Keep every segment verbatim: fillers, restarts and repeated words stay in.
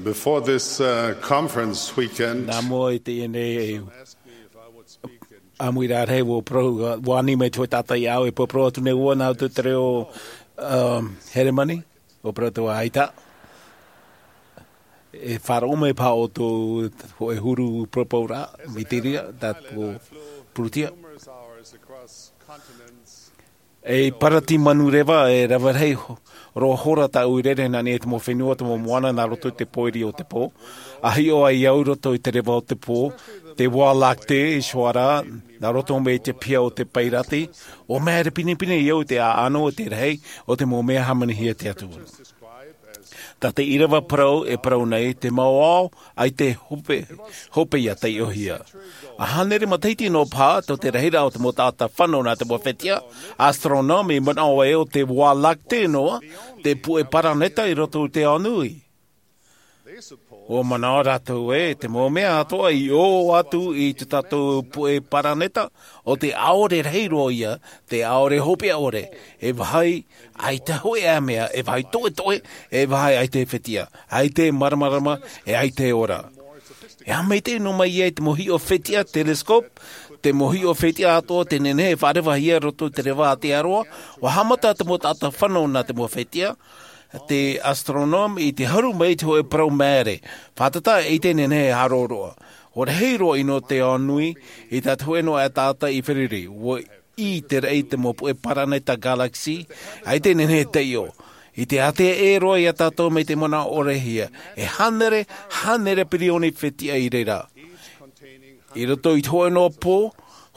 Before this uh, conference weekend, Nā mua i teie nei ʻāmuiraʻa rahi, ʻua parau, ʻua ani mai te hōʻē taʻata iā ʻu e parau atu nei ʻoia nā roto i te reo, um, Heremani, ʻua parau atu ā, ʻaita. E faʻaroʻo mai paha ʻoutou hōʻē huru parauparau, mitiria, tātou purutia. E parati manureva, e rave rahi ho-, roa hora tāʻu i rere nā niʻa i te mau fenua, te mau moana, nā roto i te pōiri o te pō. ʻA hiʻo ai au i roto i te reva o te pō, te Voie Lactée, i Sohara, nā roto mai i te piha o te Pairati, ʻua māere pinepine au i te ʻāʻano, te rahi o te mau mea hāmanihia e te Atua. Tā te ʻīrava parau e parau nei, te mau ao, ʻaita e hope, hopeʻa taiʻohia. ʻA hānere matahiti noa paha, tō te rahiraʻa o te mau taʻata fano nā te mau fētiʻa, astronome, i manaʻo ē ʻo te Voie Lactée noa, te puʻe paraneta i roto i te ao nui. ʻUa manaʻo rātou ē, te mau mea atoʻa i ʻō atu i tō tātou puʻe paraneta, ʻo te ʻaore rahi roa ia, te ʻaore hopeʻa ʻore, e vāhi ʻaita hōʻē mea, e vāhi toʻetoʻe, e vāhi ʻaita e fētiʻa, ʻaita e māramarama, e ʻaita e ora. E aha maitaʻi noa mai ai te mau hiʻo fētiʻa, telescope, te mau hiʻo fētiʻa atoʻa tē nehenehe e faʻarevahia i roto i te reva a Aotearoa, ʻua haʻamata te mau taʻata fano nā te mau fētiʻa, te astronome i te haru mai i te hōʻē parau māere. Fātata ʻaita e nehenehe e haʻaroʻaroʻa. ʻUa rahi roa ʻino te ao nui, i tā te hōʻē noa aʻe taʻata i feruri. ʻUa ʻī te raʻi i te mau puʻe paraneta galaxy, ʻaita e nehenehe e taiʻo. I te ātea ʻē roa iā tātou mai te manaʻo ʻorehia. E hānere, hānere pirioni fētiʻa i reira. I roto i te hōʻē noa pō,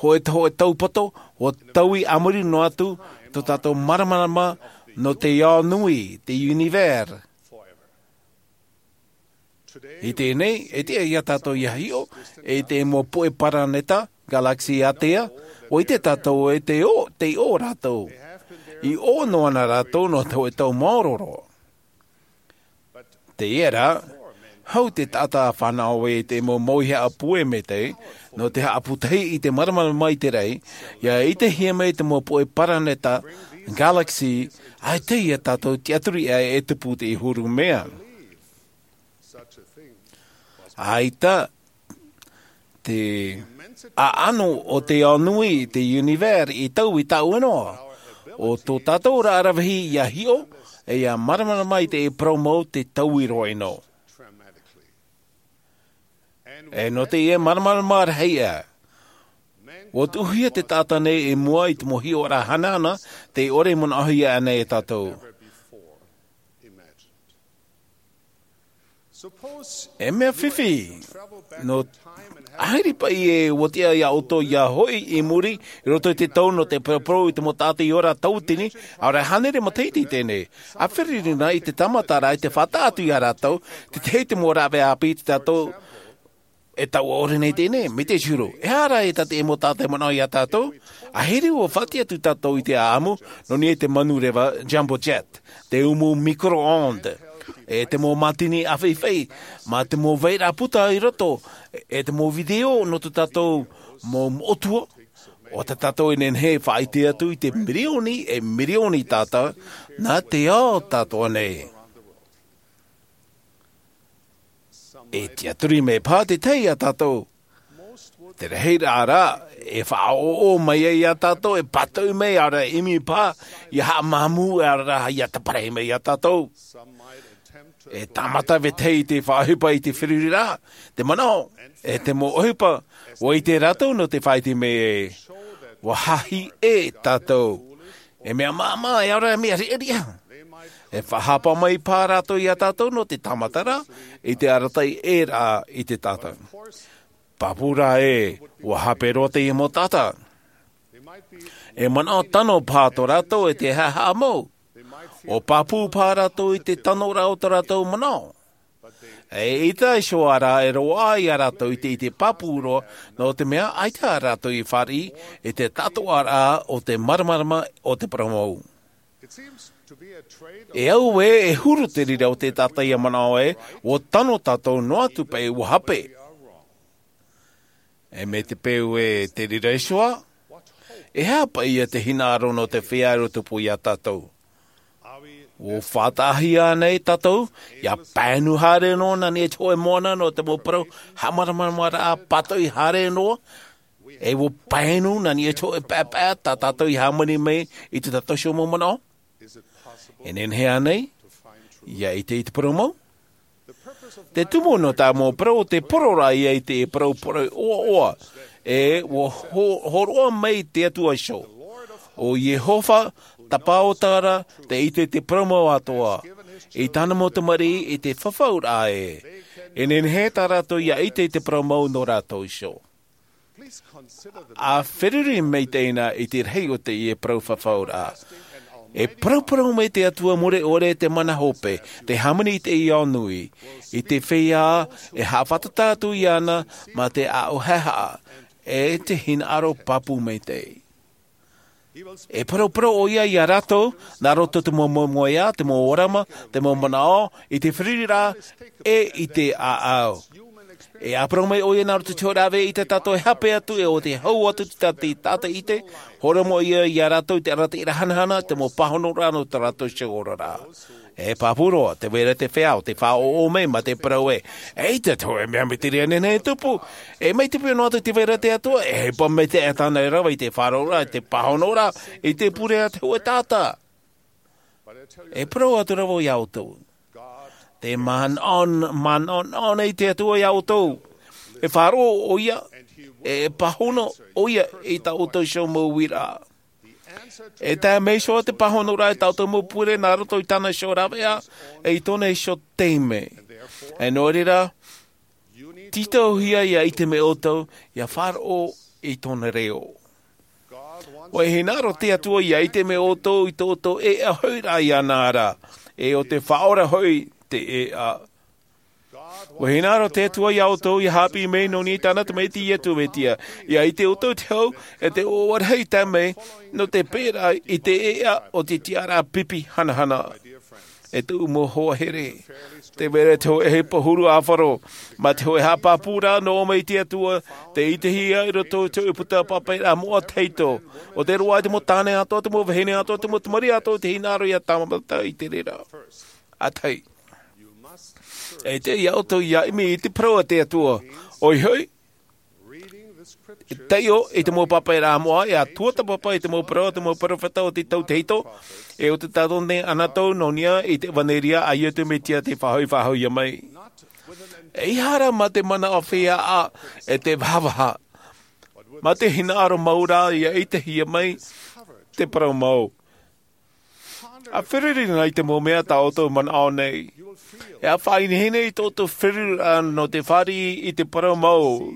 hōʻē te hōʻē taupato, ʻua taui a muri noa atu, tō tātou māramarama nō te ao nui, te univers. I teie nei, e tiʻa iā tātou ʻia hiʻo, e te mau puʻe paraneta, galaxy ātea, ʻua ʻite tātou e te ʻō, tē ʻō rātou. I ʻō noa na rātou nō te hōʻē tau maoro roa. Teie rā, hau te taʻata ʻa fānaʻo ē i te mau mauihaʻa puʻe maitaʻi, nō te haʻapūtahi i te māramarama i te raʻi, ʻia ʻitehia mai te mau puʻe paraneta, galaxy, ʻaita iā tātou tiʻaturi ʻē e tupu i te huru mea. ʻAita, te ʻaʻano o te ao nui, te univers, i taui tāʻu noa. ʻO tō tātou ra rāvehi ʻia hiʻo, e ʻia māramarama i te parau mau te taui roa ʻino. E nō teie māramarama rahi ā. ʻUa tuʻuhia te taʻata nei i mua i te mau hiʻoraʻa hanahana, tē ʻore manaʻohia ana e tātou. E mea fifi, nō ʻahiri paʻi e ʻua tiʻa iā ʻoutou ʻia hoʻi i muri, i roto i te tau nō te paraparau i te mau taʻata i ora tauatini, ʻaore hānere matahiti teie nei. ʻA feruri na i te tāmata ra i te faʻataʻa atu iā rātou, te tahi te mau rāveʻa ʻāpī i te tātou, e taua ʻore nei teie nei, mai te huru. E aha rā e tā te mau taʻata e manaʻo iā tātou? ʻAhiri ʻua faʻatiʻa atu tātou i te ʻāʻamu, nō niʻa i te manureva jumbo jet, te umu micro-ondes, e te mau mātini ʻāfaifai, mā te mau vairaʻa puta i roto, e te mau video nō tō tātou mau moʻotua, ʻo tā tātou e nehenehe e faʻaʻite atu i te mirioni, e mirioni taʻata, nā te ao tātou nei. E tiʻaturi mai paha te tahi iā tātou. Te rahiraʻa rā, e faʻaʻoʻo mai ai iā tātou, e pātoʻi mai, ʻaore rā e ʻimi paha, ʻia haʻamāmū, ʻaore rā ʻia taparahi mai iā tātou. E tāmata vetahi i te faʻaʻohipa i te feruriraʻa, te manaʻo, e te mau ʻohipa, ʻua ʻite rātou nō te faʻaʻite mai ē, ʻua hahi ʻē tātou. E mea māmā, e ʻaore rā e mea riʻariʻa. E faʻahapa mai paha rātou iā tātou nō te tāmata ra, i te arataʻi ʻē rā i te taʻata. Pāpū rā ē, ʻua hape roa teie mau taʻata. E manaʻo tano paha tō rātou e te haʻahaʻa mau. ʻUa pāpū paha rātou i te tanoraʻa o tō rātou manaʻo. E ʻaita e iho ā rā e roaʻa iā rātou i te, i te pāpū roa, nō te mea ʻaita rātou i fāriʻi i te taʻatoʻaraʻa o te māramarama o te parau mau. E au ē, e huru te reira o te taʻata ʻia manaʻo ē, ʻua tano tātou noa atu paʻi ʻua hape. E mai te peu ē te reira iho ā, e aha paʻi ia te hinaʻaro nō te feiā e tupu iā tātou? ʻUa faʻataʻahia nei tātou ia paenu haere noa nā niʻa i te hoʻe moana nō te mau parau haʻamāramaramaraʻa pātoʻi haere noa. ʻE ʻua paenu nā niʻa i te hoʻe paepae tā tātou i hāmani mai i tō tātou iho mau manaʻo. E nehenehe ānei ia ʻite i te parau mau? Te tumu nō tā mau parau o te poroʻi ia i te parau poroʻi ʻoaʻoa. ʻE ʻua hōroʻa mai te atua iho, ʻo iehova tapaota ra, te ʻite i te parau mau atoa i tāna mau tamariʻi i te fafauraʻa ē. E nehenehe tā rātou ia ʻite i te parau mau nō rātou iho. ʻA feruri mai teie i te rahi o teie parau fafauraʻa. E parauparau mai te atua mure ʻore te mana hope, te hāmani i teie ao nui, i te feiā e haʻafātata atu iāna mā te ʻaʻohaʻa e te hinaʻaro pāpū maitaʻi. E parauparau ʻoia iā rātou nā roto i te mau moemoeā, te mau orama, te mau manaʻo, i te feruriraʻa, ʻe i te ʻāʻau. E ʻāparau mai ʻoia nā roto i te hoʻe rave i tā tātou e hape atu ʻe ʻo te hau atu i te tātaʻi ʻite. Hōroʻa mai ʻoia iā rātou i te arataʻiraʻa hanahana, te mau pāhonoraʻa nō tā rātou iho oraraʻa. E pāpū roa te vai ra te feiā ʻo tē faʻaʻoʻo mai mā te parau ē, e ʻaita te hoʻe mea mitiria nei e tupu. E mai te pio noa atu te vai ra te atua e ʻohipa mai te ʻatāna e rave i te faʻaroʻoraʻa i te pāhonoraʻa, i te pure a te hoʻe taʻata. E parau atu ra vau iā ʻoutou, te manaʻo, manaʻo nei te atua iā ʻoutou. E faʻaroʻo ʻoia, e pāhono ʻoia i tā ʻoutou iho mau uiraʻa. E tae mai iho te pāhonoraʻa i tā ʻoutou mau pure nā roto i tāna iho raveʻa, ʻe i tōna iho taime. E nō reira, tītauhia ia ʻite mai ʻoutou ia faʻaroʻo i tōna reo. ʻUa hinaʻaro te atua ia ʻite mai ʻoutou i tō ʻoutou ʻēʻa hoʻiraʻa iāna ra, ʻe ʻo te faʻaora hoʻi te ʻēʻa. ʻUa hinaʻaro te atua iā ʻoutou ia haʻapiʻi mai nō niʻa i tāna tamaiti iesu mesia, ia ʻite ʻoutou i te hau, ʻe te ʻoaʻoa rahi tae mai nō te pēraʻa i te ʻēʻa o te tiʻaraʻa pipi hanahana. E tōʻu mau hoa here, te vai ra te hoʻe ʻohipa huru ʻāfaro mā te hoʻe haʻapāpūraʻa nō ʻō mai i te atua, tei ʻitehia i roto i te hoʻe puta pāpaʻiraʻa moʻa tahito, ʻo te roaʻa i te mau tāne atoa, te mau vahine atoa, te mau tamariʻi atoa, te hinaʻaro ia tāmata i te reira. ʻA tahi, e tiʻa iā ʻoutou ia ʻimi i te parau a te atua. ʻOia hoʻi, e taiʻo i te mau pāpaʻiraʻa moʻa, e tuatāpapa i te mau parau a te mau peropheta o te tau tahito, ʻe ʻo te tātone anaʻe nō niʻa i te ʻevanelia a iesu mesia tei faʻahoʻi faʻahoʻihia mai. ʻEiaha rā mā te manaʻo feiā ʻe te vahavaha, mā te hinaʻaro mau rā ia ʻitehia mai te parau mau. ʻA feruri na i te mau mea tā ʻoutou manaʻo nei. E faʻahinahina i tō ʻoutou feruriraʻa nō te fāriʻi i te parau mau.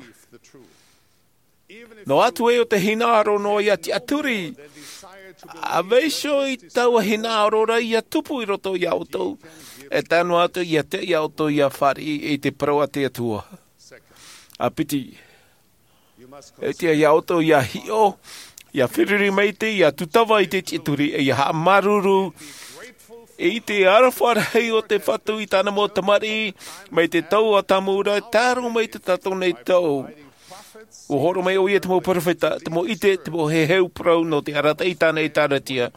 Noa atu ē ʻo te hinaʻaro noa ia tiʻaturi, ʻa vaiiho i taua hinaʻaro ra ia tupu i roto iā ʻoutou, e tae noa atu ia tiʻa iā ʻoutou ia fāriʻi i te parau a te atua. ʻA piti, e tiʻa iā ʻoutou ia hiʻo, ia feruri maitaʻi, ia tūtava i te tiʻaturi, ʻe ia haʻamāuruuru i te aroha rahi o te fatu i tāna mau tamariʻi, mai te tau ʻadamu ra e tae roa mai i tō tātou nei tau. ʻUa hōroʻa mai ʻoia i te mau peropheta, te mau ʻite, te mau heheu parau nō te arataʻi i tāna ʻēkālesia,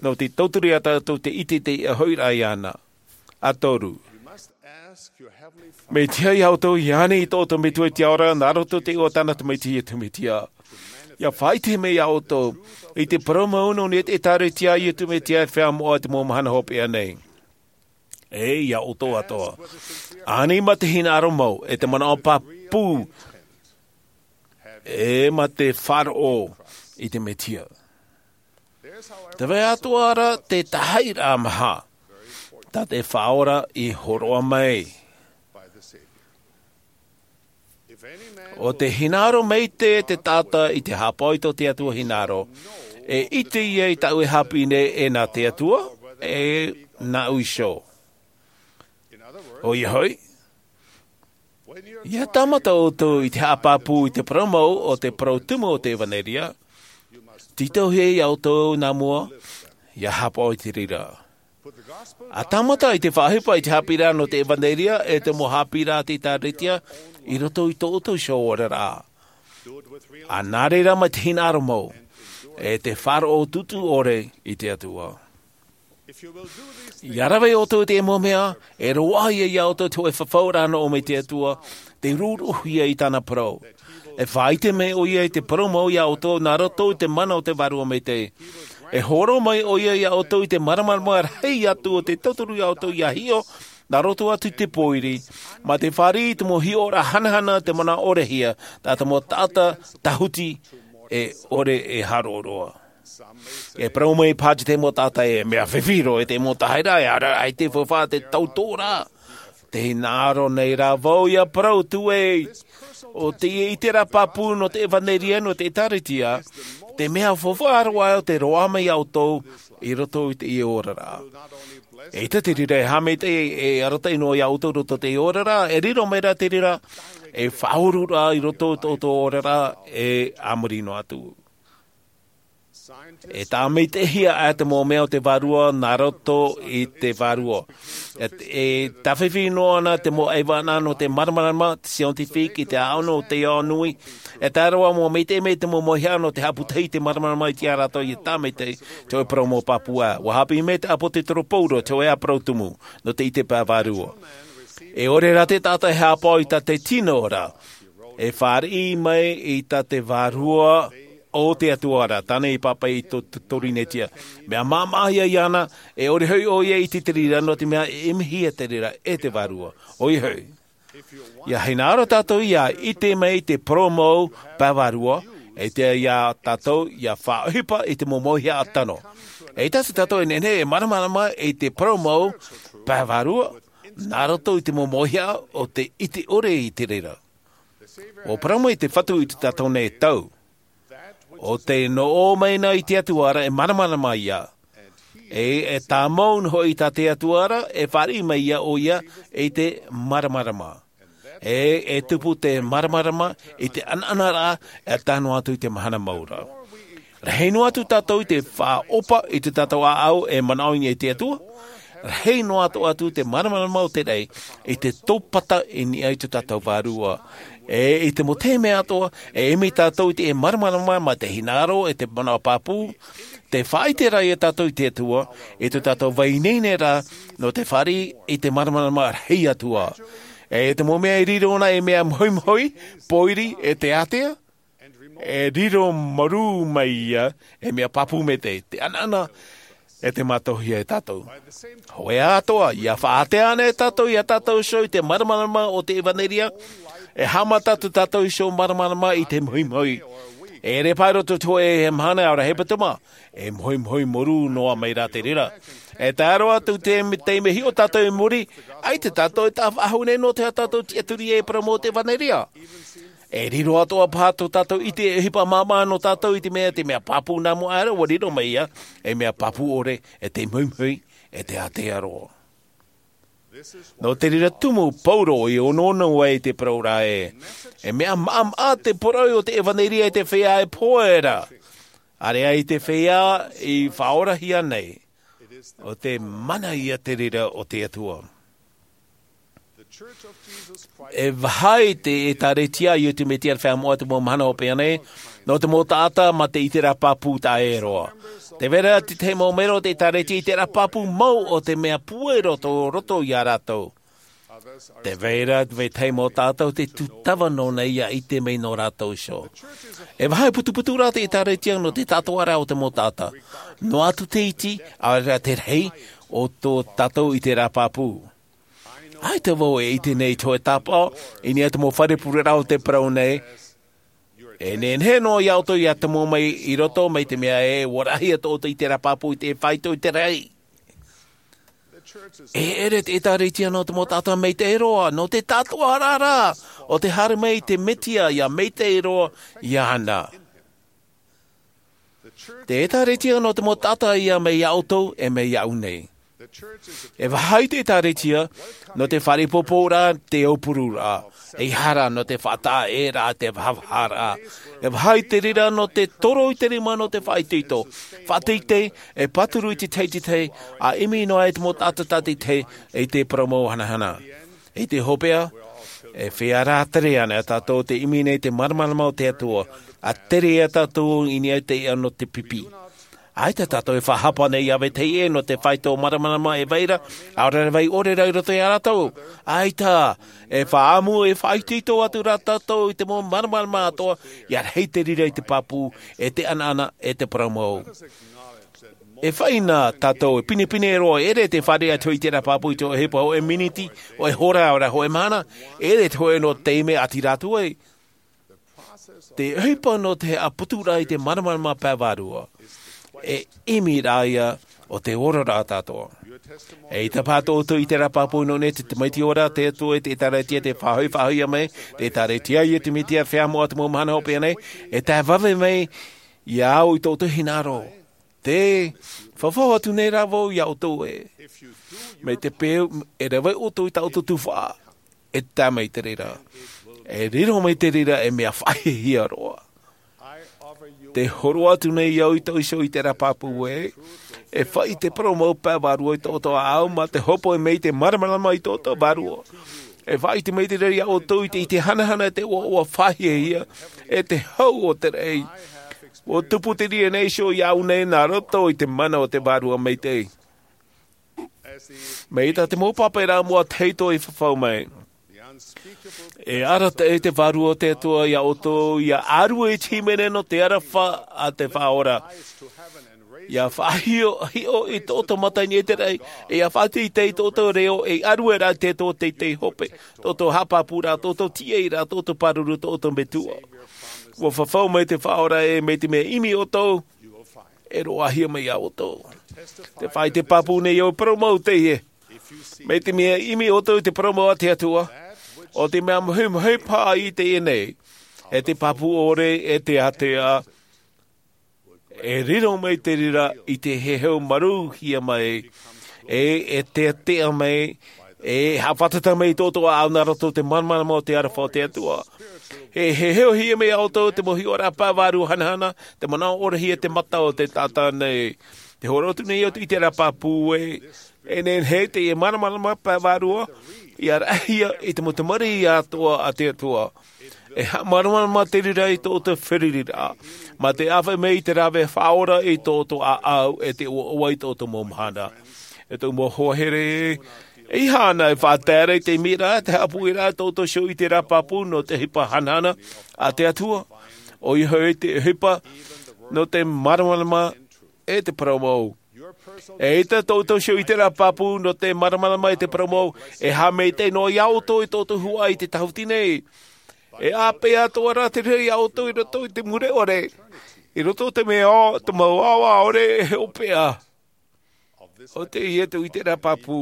nō te tauturu iā tātou te ʻite i te ʻēʻa hoʻiraʻa iāna. ʻA toru, mea tiʻa iā ʻoutou ia ani i tō ʻoutou metua i te ao ra nā roto i te iʻoa o tāna tamaiti iesu mesia, ia faʻaʻite mai iā ʻoutou i te parau mau nō niʻa i te ʻēkālesia a iesu mesia e feiā moʻa i te mau mahana hopeʻa nei. ʻE iā ʻoutou atoa, ani mā te hinaʻaro mau, ʻe te manaʻo pāpū, ʻe mā te faʻaroʻo i te mesia. Te vai atoa ra te tahaʻiraʻa maha tā te faʻaora i hōroʻa mai. ʻO te hinaʻaro maitaʻi te taʻata i te haʻapaʻo i tō te atua hinaʻaro, e ʻite ia i tāʻu e haʻapiʻi nei e nā te atua, ʻe nāʻu iho. ʻOia hoʻi, ia tāmata ʻoutou i te haʻapāpū i te parau mau o te parau tumu o te ʻevanelia, tītauhia iā ʻoutou nā mua ia haʻapaʻo i te reira. ʻA tāmata i te faʻaʻohipa i te haʻapiʻiraʻa nō te ʻevanelia ʻe te mau haʻapiʻiraʻa a te ʻēkālesia i roto i tō ʻoutou iho oraraʻa. ʻA nā reira mā te hinaʻaro mau ʻe te faʻaroʻo tūtū ʻore i te atua. Ia rave ʻoutou i te mau mea e roaʻa ia ia ʻoutou te hoʻe fafauraʻa nō ʻō mai te Atua, te rūruhia i tāna parau. E faʻaite mai ʻoia i te parau mau ia ʻoutou nā roto i te mana o te vārua maitaʻi. E horo mai ʻoia ia ʻoutou i te māramarama rahi atu o te tauturu ia ʻoutou ia hiʻo nā roto atu i te pōiri, mā te fāriʻi i te mau hiʻoraʻa hanahana te manaʻo ʻore hia tā te mau taʻata tāhuti e ʻore e hāroʻaroʻa. E parau mai pāti te mau taʻata e mea fifi roa e te mau tahaira e ara ai te faufaʻa te tautoʻoraʻa. Te hinaʻaro nei rā vau ia parau tū ei o te ʻite rā pāpū nō te ʻevaneria nō te ʻēkālesia, te mea faufaʻa roa o te roaʻa mai ia ʻoutou i roto i te ʻie oraraʻa. E ʻita te reira e haʻamaitaʻi e arataʻi noa ia ʻoutou roto i te ʻie oraraʻa e riro mai rā te reira e faʻaururaʻa i roto i tō ʻoutou oraraʻa e a muri noa atu. E tāmaitaʻihia ʻā te mau mea o te vārua nā roto i te vārua. E tāfifi noa ana te mau ʻaivaʻa nō te māramarama te scientifique i te ʻaʻono o te ao nui. E tae roa mau maitaʻi mai te mau mauhaʻa nō te haʻaputahi i te māramarama i te ʻā rātou i tāmaitaʻi te hoʻe parau mau pāpū ʻā ua haʻapiʻi mai te ʻāpōsetolo paulo te hoʻe ʻā parau tumu nō te ʻite pae vārua. E ʻore rā te taʻata e hāpaʻo i tā te tino rā e fāriʻi mai i tā te vārua o te Atua rā tāna i pāpaʻi i tō te torinetia. Mea māmāhia iāna e ʻore hoʻi ʻoia i te reira nō te mea e ʻimihia te reira e te vārua. ʻOia hoʻi ia hinaʻaro tātou ia ʻite mai te parau mau pae vārua e te ia tātou ia faʻaʻohipa i te mau mauhaʻa tano. E ʻita tātou e nehenehe e māramarama i te parau mau pae vārua nā roto i te mau mauhaʻa o te ʻite ʻore i te reira. Ua parau mai te fatu i tō tātou nei tau o te nō ʻō mai na i te Atua ra e māramarama ia. E e tāmau noa hoʻi tā te Atua ra e fāriʻi mai ia ʻoia i te māramarama. E e tupu te māramarama i te ʻanaʻanaraʻa e tae noa atu i te mahana mau ra. Rahi noa atu tātou i te faʻaʻohipa i tō tātou ʻāʻau e manaʻo i niʻa i te Atua. Rahi noa atu atu te māramarama o te raʻi i te tōpata i niʻa i tō tātou vārua. E i te mau taime atoʻa e ʻimi tātou i te māramarama mā te hinaʻaro e te manaʻo pāpū. Te faʻaʻite rā ia tātou i te Atua i tō tātou vai nei nei rā nō te fāriʻi i te māramarama rahi atu ā. E te mau mea e riro ana e mea mohimohi pōiri e te ātea e riro marū mai ia e mea pāpū maitaʻi te ʻanaʻana e te mātauhia e tātou. Hoʻi atoʻa ia faʻaʻite ana e tātou ia tātou iho i te māramarama o te ʻevaneria. E haʻamata atu tātou iho māramarama i te mohimohi e ʻere pae roto te hoʻe e mahana ʻaore hepetoma e mohimohi marū noa mai rā te reira. E tae roa atu te taime hiʻo tātou i muri ʻaita tātou e taʻa faʻahou nei nō te aha tātou tiʻaturi ai e parau mau o te ʻevaneria. E riro atoʻa paha tō tātou ʻite e ʻohipa māmā nō tātou i te mea te mea pāpū nā mua ʻaore ua riro mai ia e mea pāpū ʻore e te mohimohi e te ātea roa. Nō te reira tumu paulo i onoono ai i te parau ra ē e mea maʻamaʻa te poroʻi o te ʻevaneria i te feiā e pohe ra ʻāreʻa i te feiā i faʻaorahia nei o te mana ia te reira o te Atua. E vaha i te ʻēkālesia a iesu mesia i te feiā moʻa te mau mahana hopeʻa nei nō te mau taʻata mā te ʻite rā pāpū taʻa ʻē roa. Te vai ra te tahi mau melo o te ʻēkālesia i te rā pāpū mau o te mea puai roto roto iā rātou. Te vai ra te vai tahi mau taʻata o te tūtava nō nei ia ʻite mai nō rātou iho. E vaha i putuputu rā te ʻēkālesia nō te taʻatoʻaraʻa o te mau taʻata noa atu te iti ʻaore rā te rahi o tō tātou ʻite rā pāpū. ʻAita vau e ʻite nei i te hoʻe tāpaʻo i niʻa i te mau fare pureraʻa o te parau nei. E nehenehe noa iā ʻoutou ia tomo mai i roto mai te mea e ua rahi atu ʻoutou i te rā pāpū i te faito i te rahi. E ʻere te ʻēkālesia nō te mau taʻata maitaʻi roa nō te taʻatoʻaraʻa o te haere mai i te mesia ia maitaʻi roa iāna. Te ʻēkālesia nō te mau taʻata ia mai iā ʻoutou e mai iāʻu nei. E vaha i te ʻēkālesia nō te fare poporaʻa te aupururaʻa. E ihara nō te faʻataʻa ʻē rā te vahavaharaʻa. E vaha i te reira nō te toro i te rima nō te faʻaitoito faʻateitei e pāturu i te teitei a ʻimi noa e te mau taʻata tāteitei i te parau mau hanahana. I te hopeʻa e feiā rā tere ana tātou te ʻimi nei te māramarama o te Atua a tere iā tātou i niʻa i te iʻa nō te pipi. ʻAita tātou e faʻahapa nei i te vetahi ʻē nō te faito māramarama e vai ra, ʻaore rā e vai ʻore rā i roto iā rātou. ʻAita, e faʻaʻamu, e faʻaitoito atu rā tātou i te mau māramarama atoʻa, ʻia rahi te reira i te pāpū, e te ʻanaʻana, e te parau mau. E faʻaʻite tātou, e pinepine roa, e ʻere te fāriʻi atu i terā pāpū i te ʻohipa hōʻē miniti, hōʻē hora, ʻaore rā hōʻē mahana, e ʻere te hōʻē nō te taime ʻati rātou ai. Te ʻohipa nō te haʻaputuraʻa i te māramarama pae vārua, e ʻimi rā ia o te ora rā tātou. ʻAita paha tō ʻoutou ʻiteraʻa pāpū nō niʻa i te tamaiti ora, te Atua, te ʻĒkālesia, te faʻahoʻi, faʻahoʻihia mai, te ʻĒkālesia, Iesu Mesia, feiā moʻa o te mau mahana hopeʻa nei, e tae vave mai iā ʻoe i tō ʻoutou hinaʻaro. Tē fafau atu nei rā vau iā ʻoutou ē. Mai te peu, e rave ʻoutou i tā ʻoutou tuhaʻa, e tae mai te reira. E riro mai te reira, e mea faʻahiahia roa. Tē hōroʻa atu nei au i tō ʻoe iho ʻiteraʻa pāpū ē. E faʻaʻite parau mau pae vārua i tō ʻoutou ʻāʻau, mā te hōpoi mai i te māramarama i tō ʻoutou vārua. E faʻaʻite mai te reira iā ʻoutou i te, i te hanahana, te ʻoaʻoa faʻahiahia, e te hau o te raʻi. ʻUa tupu te reira nei iho iāʻu nei nā roto i te mana o te Vārua Maitaʻi. Mai tā te mau pāpaʻiraʻa moʻa tahito i fafau mai. E arataʻi te Vārua o te Atua iā ʻoutou, ʻia ʻārue i te hīmene nō te aroha a te Faʻaora. ʻIa faʻahiʻo, hiʻo i tō ʻoutou mata i niʻa i te raʻi, e ʻia faʻateitei i tō ʻoutou reo, e ʻārue rā te tō teitei hope, tō ʻoutou haʻapāpūraʻa, tō ʻoutou tīaʻiraʻa, tō ʻoutou pāruru, tō ʻoutou metua. ʻUa fafau mai te Faʻaora ē, mai te mea ʻimi ʻoutou, e roaʻahia mai iā ʻoutou. Tē faʻaʻite pāpū nei au, parau mau teie. Mai te mea ʻimi ʻoutou i te parau mau a te Atua, ʻo te mea mahimahi paha i teie nei, e te pāpū ʻore, e te ātea, e riro mai te reira i te heheu maruhia mai, e, e teatea mai, e haʻafātata mai i tō ʻoutou ʻāʻau nā roto i te māramarama o te aroha o te Atua. E heheuhia mai iā ʻoutou te mau hiʻoraʻa pae vārua hanahana, te manaʻo ʻorehia te mata o te taʻata nei. Tē hōroʻa atu nei au i te ʻiteraʻa pāpū ē, e nehenehe teie māramarama pae vārua, ʻia raʻahia i te mau tamariʻi atoʻa a te Atua. E haʻamāramarama te reira i tō ʻoutou fārereiraʻa, mā te ʻāfaʻi mai i te rave faʻaora i tō ʻoutou ʻāʻau, e te ʻoaʻoa i tō ʻoutou mau mahana. E tōʻu mau hoa here, e ʻeiaha anaʻe e faʻatae ra i te ʻimiraʻa, te haʻapuʻeraʻa i tō ʻoutou iho ʻiteraʻa pāpū nō te ʻohipa hanahana a te Atua. ʻOia hoʻi te ʻohipa nō te māramarama e te parau mau. ʻAita tō ʻoutou iho ʻiteraʻa pāpū nō te māramarama e te parau mau, e haʻamaitaʻi noa iā ʻoutou i tō ʻoutou huaʻai i te tāhuti nei. E ʻāpeʻe atoʻa rā te reira iā ʻoutou i roto i te mure ʻore, i roto i te mea ʻo, te mau ʻāʻau ʻore e hopeʻa. ʻO teie te ʻiteraʻa pāpū,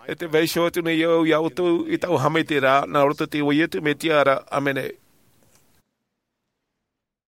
e tē vaiiho atu nei au iā ʻoutou i tāʻu haʻamaitaʻiraʻa, nā roto i te iʻoa o Iesu Mesia ra, ʻāmene.